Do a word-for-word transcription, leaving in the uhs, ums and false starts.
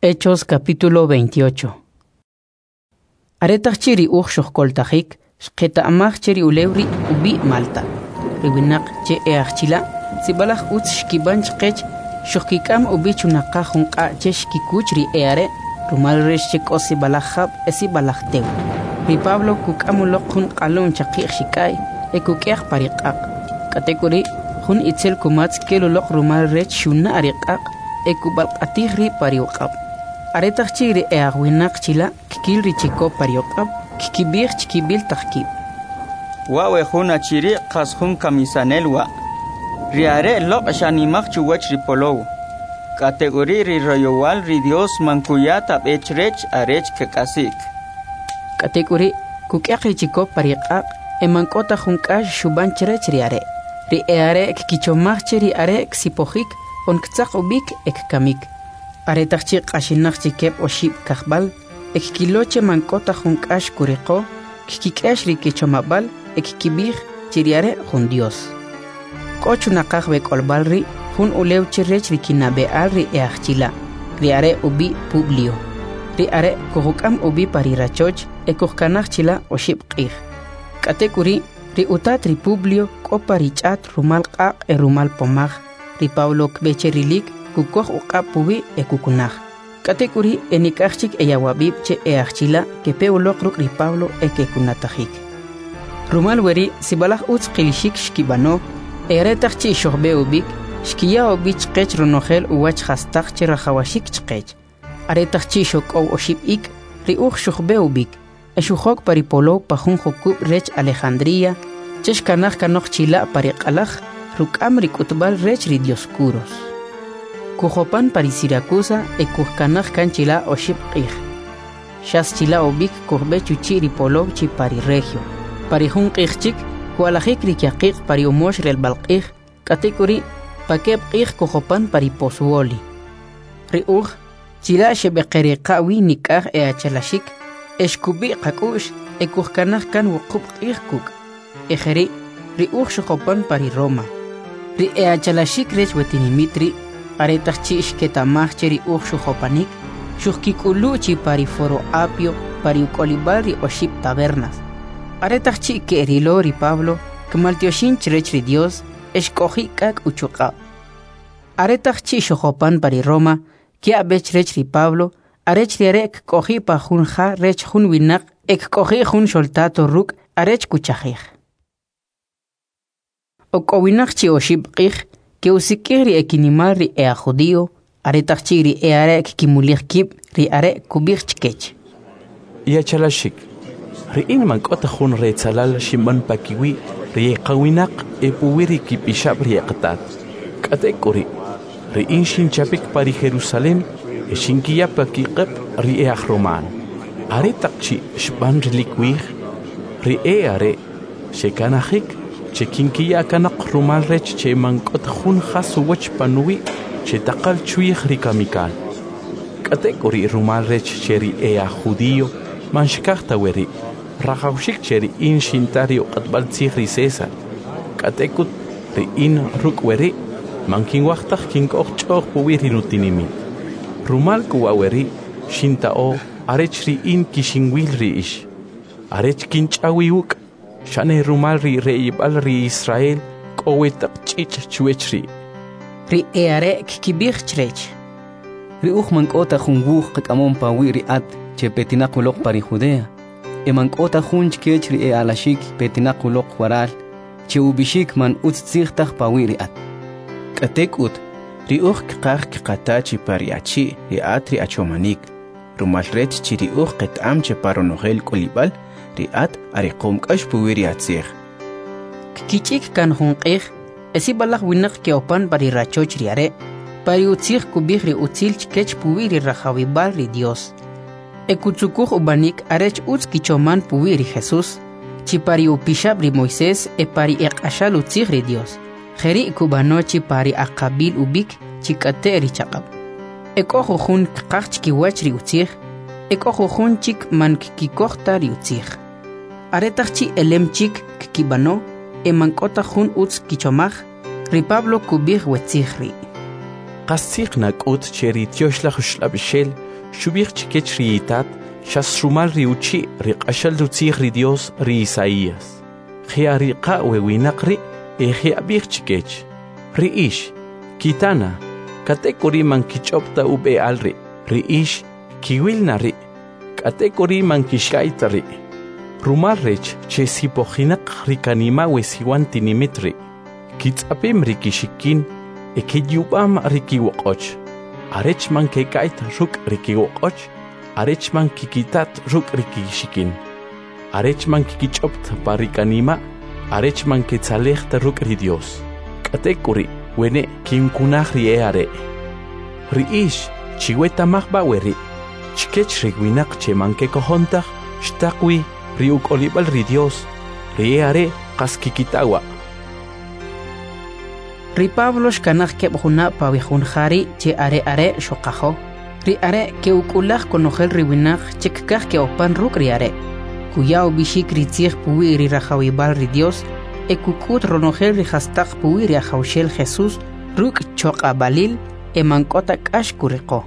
Hechos capítulo veintiocho. Aretaq chi' ri uj xojkoltajik, xqeta'maj che ri ulew ri' ub'i' Malta. Ri winaq che e aj chila' sib'alaj utz xkib'an chqech, xojkik'am ub'i chunaqaj jun q'a' che xkikuch ri e are' rumal rech che k'o sib'alaj jab' e sib'alaj tew. Ri Pablo kuk'am uloq jun q'alum chaqi'j xik'a'y e kuk'yaq pa ri q'aq'. K'atek'uri', jun itzel kumatz kel uloq rumal rech xuna' ri q'aq' e kub'alq'atij rib' pa ri uq'ab'. Aretaq chi' ri e'ajwinaq chila' kkil ri chikop pa ri uq'ab', kkib'ij chkib'il taq kib': Wa' we jun achi ri' qas jun kamisanel wa'. Ri are' loq' xanimaj chuwach ri polow. K'atek'uri' ri royowal ri Dios man kuya ta b'e chrech arech kk'asi'k. K'atek'uri', kuk'yaq ri chikop pa ri q'aq' e man k'o ta jun k'ax xub'an chrech ri are'. Ri e'are' kkichomaj che ri are' ksipojik on ktzaq ub'ik e kkamik. Aretaq chi' q'axinaq chi keb' oxib' kajb'al, e kkilo che man k'o ta jun k'ax kuriqo, kkik'ex ri kichomab'al e kkib'ij che ri are' jun Dios. K'o chunaqaj we k'olb'al ri' jun ulew che rech ri kinab'e'al ri e'ajchila', ri are' ub'i' Publio. Ri are' kujuk'am ub'i pa ri rachoch e kujkanaj chila' oxib' q'ij. K'atek'uri', ri utat ri Publio k'o pa ri ch'at rumal q'aq' e rumal pomaj. Ri Pablo kb'e che rilik, kukoj uq'ab' puwi' e kukunaj. K'atek'uri' e nik'aj chik eyawab'ib' che e'ajchila' kepe uloq ruk' ri Pablo e kekunatajik. Rumal weri' sib'alaj utz qilixik xkib'ano, e aretaq chi' xojb'e ub'ik, xkiya ub'i chqech ronojel uwach jastaq che rajawaxik chqech. Aretaq chi' xok'ow oxib' ik', ri uj xojb'e ub'ik, e xujok pa ri polow pa jun jukub' rech Alejandría, che xkanaj kanoq chila' pa ri q'alaj, ruk'am ri k'utb'al rech ri Dioscuros. Kujopan pa ri Siracusa e kujkanaj kan chila' oxib' q'ij. Xas chila' ub'ik kujb'e chuchi' ri polow chi pa ri Regio. Pa ri jun q'ij chik, kwa'lajik ri kyaqiq' pa ri umox relb'al q'ij, k'atek'uri' pa keb' q'ij kujopan pa ri Pozzuoli. Ri uj, chila' xeb'eqeriqa' wi nik'aj e'achalaxik, e xkub'i' qak'u'x e kujkanaj kan wuqub' q'ij kuk'. E jeri', ri uj xujopan pa ri Roma. Ri e'achalaxik rech we tinimit ri', aretaq chi' xketa'maj che ri uj xujopanik, xujkik'ulu' chi pa ri Foro Apio pa ri uk'olib'al ri oxib' tabernas. Aretaq chi' ke'rilo ri Pablo, kmaltyoxin chrech ri Dios e xk'oji' k'ak' uchuq'ab'. Aretaq chi' xujopan pa ri Roma, kya' b'e chrech ri Pablo, arech ri are' kk'oji' pa jun ja rech jun winaq e kk'oji' jun xoltato ruk' arech kuchajij. Ok'owinaq chi oxib' q'ij, ke'usik'ij ri ekinimal ri e'ajjudio, aretaq chi' ri e'are' kkimulij kib', ri are' kub'ij chkech: Iachalaxik, ri in man k'o ta jun retzalal xinb'an pakiwi' ri eqawinaq e puwi' ri kipixab' ri eqatat. K'atek'uri', ri in xinchapik pa ri Jerusalem e xinkiya pakiq'ab' ri e'ajroman. Aretaq chi' xb'an rilik wij, ri e'are' xekanajik che kinkiya kanoq rumal rech che man k'o ta jun jas uwach panuwi' che taqal chwij ri kamikal. K'atek'uri' rumal rech che ri e'ajjudio man xkaj ta weri', rajawxik che ri in xinta ri uq'atb'al tzij ri César. K'atek'ut ri in ruk' weri' man kinwaj taj kinkoj ch'o'j puwi' ri nutinimit. Rumal k'u wa' weri' xinta'o arech ri in kixinwil ri ix, arech kinch'aw iwuk', xane rumal ri re'ib'al ri Israel k'o we taq ch'ich' chwech ri'. Ri e'are' kkib'ij chrech: Ri uj man k'o ta jun wuj qak'amom pawi' ri at che petinaq uloq pa ri Judea, e man k'o ta jun chkech ri e'alaxik petinaq uloq waral che ub'ixik man utz tzij taj pawi' ri at. K'atek'ut, ri uj kqaj kqata chi pa ri achi' ri at ri achomanik, rumal rech chi ri uj qeta'am che pa ronojel k'olib'al ri at ariqom k'ax puwi' ri atzij. Kkich'ik kan jun q'ij, e sib'alaj winaq ke'opan pa ri rachoch ri are', pa ri utzij kub'ij ri utzil chkech puwi' ri rajawib'al ri Dios. E kutzukuj ub'anik arech utz kichoman puwi' ri Jesús, chi pa ri upixab' ri Moisés e pa ri eq'axal utzij ri Dios. Jeri' kub'ano chi pa ri aq'ab'il ub'ik chi k'ate' ri chaq'ab'. E k'o jujun kqaj chkiwach ri utzij, e k'o jujun chik man kkikoj ta ri utzij. Aretaq chi' elem chik kkib'ano, e man k'o ta jun utz kichomaj, ri Pablo kub'ij we tzij ri': Qastzij nak'ut che ri Tyoxlaj Uxlab'ixel xub'ij chkech ri itat xas rumal ri uchi' ri q'axal utzij ri Dios ri Isaías. Je'ariqa' we winaq ri' e je'ab'ij chkech: Ri ix, kitana, k'atek'uri' man kich'ob' ta ub'e'al ri'; ri ix, kiwil na ri', k'atek'uri' man kixka'y ta ri'. Rumal rech che sipojinaq ri kanima' we siwan tinimit ri', kitz'apim ri kixikin e kiyub'am ri kiwoq'och, arech man keka'y ta ruk' ri kiwoq'och, arech man kikitat ruk' ri kixikin, arech man kikich'ob' ta pa ri kanima', arech man ketzalej ta ruk' ri Dios. K'atek'uri', wene' kinkunaj ri e'are'. Ri ix, chiweta'maj b'a' weri', chkech ri winaq che man kekojon taj xtaq wi ri uk'olib'al ri Dios, ri e'are' qas kikita wa'. Ri Pablo xkanaj keb' junab' pa we jun ja ri' che are are' xuqajo. Ri are' ke'uk'ulaj konojel ri winaq che kkaj ke'opan ruk' ri are'. Kuya ub'ixik ri tzij puwi' ri rajawib'al ri Dios e kuk'ut ronojel ri jastaq puwi' ri Ajawxel Jesús ruk' choq'ab'alil e man k'o ta k'ax kuriqo.